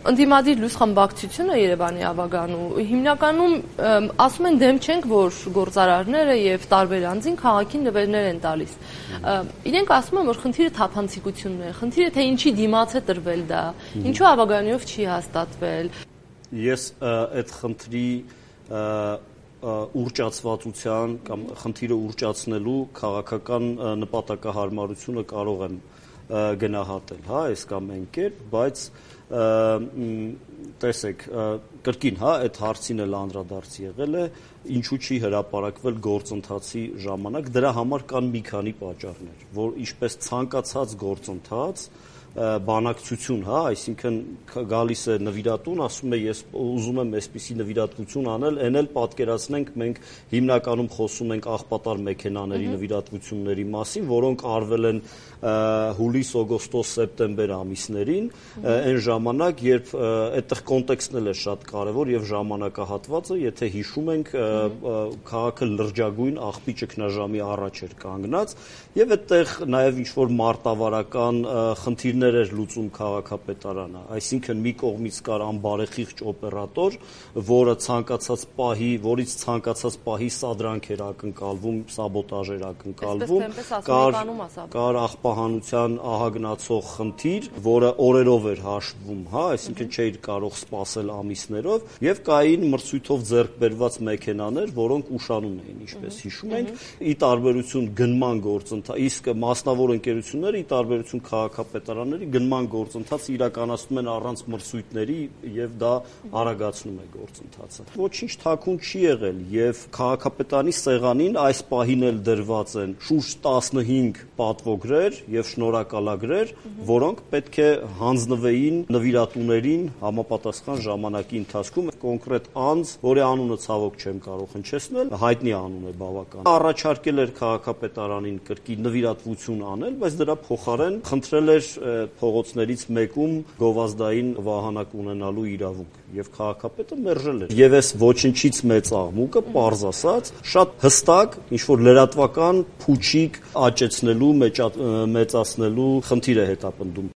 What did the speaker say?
Ընդդիմադիր լույս խմբակցությունը Երևանի ավագանու հիմնականում ասում են դեմ չենք, որ գործարարները եւ տարբեր անձին քաղաքին նվերներ են տալիս։ Իրենք ասում են, որ խնդիրը թափանցիկությունն է, խնդիրը թե ինչի դիմաց է տրվել դա, ինչու ավագանիով չի հաստատվել։ Ես այդ խնդրի ուռճացվածության կամ խնդիրը ուռճացնելու քաղաքական նպատակահարմարությունը կարող եմ գնահատել, հա, այս կամ այն կերպ, բայց տեսեք, կրկին, հա, այդ հարցին էլ անդրադարձ եղել է, ինչու չի հրապարակվել գործընթացի ժամանակ, դրա համար կան մի քանի պատճառներ, որ ինչպես ցանկացած գործընթաց բանակցություն, հա, այսինքն գալիս է նվիրատուն, ասում է ես ուզում եմ այսպիսի նվիրատվություն անել, այն էլ պատկերացնենք մենք հիմնականում խոսում ենք աղբատար մեքենաների նվիրատվությունների մասին, որոնք արվել են հուլիս, օգոստոս, սեպտեմբեր ամիսներին, այն ժամանակ, երբ այդտեղ կոնտեքստն էլ է շատ կարևոր եւ ժամանակահատվածը, եթե հիշում ենք, քաղաքը լրջագույն աղբի ճգնաժամի առաջ էր կանգնած եւ այդտեղ նաեւ ինչ որ մարտավարական խնդիրներ էր լուծում քաղաքապետարանը, այսինքն մի կողմից կար անբարեխիղճ օպերատոր, որից ցանկացած պահի սադրանք էր ակնկալվում, սաբոտաժ էր ակնկալվում, կար աղբահանության ահագնացող խնդիր, որը օրերով էր հաշվում, հա, այսինքն չէիր կարող սպասել ամիսներով, եւ կային մրցույթով ձեռք բերված մեքենաներ, որոնք ուշանում էին, ինչպես հիշում ենք, ի տարբերություն գնման գործընթացի, իսկ մասնավոր ընկերությունները ի տարբերություն քաղաքապետարանների գնման գործընթացը իրականացնում են առանց մրցույթների եւ դա արագացնում է գործընթացը։ Ոչինչ թաքուն չի եղել եւ քաղաքապետարանի սեղանին այս պահին էլ դրված են շուրջ 15 պատվոգրեր եւ շնորհակալագրեր, որոնք պետք է հանձնվեին նվիրատուներին համապատասխան ժամանակի ընթացքում կոնկրետ անձ, որի անունը ցավոք չեմ կարող հնչեցնել, հայտնի անուն է բավական։ Առաջարկել էր քաղաքապետարանին կրկին նվիրատվություն անել, բայց դրա փոխարեն խնդրել էր փողոցներից մեկում գովազդային վահանակ ունենալու իրավունք եւ քաղաքապետը մերժել էր։ Եվ այս ոչնչից մեծ աղմուկը, պարզ ասած, շատ հստակ ինչ որ լրատվական փուչիկ աճեցնելու, մեծացնելու խնդիր է հետապնդում։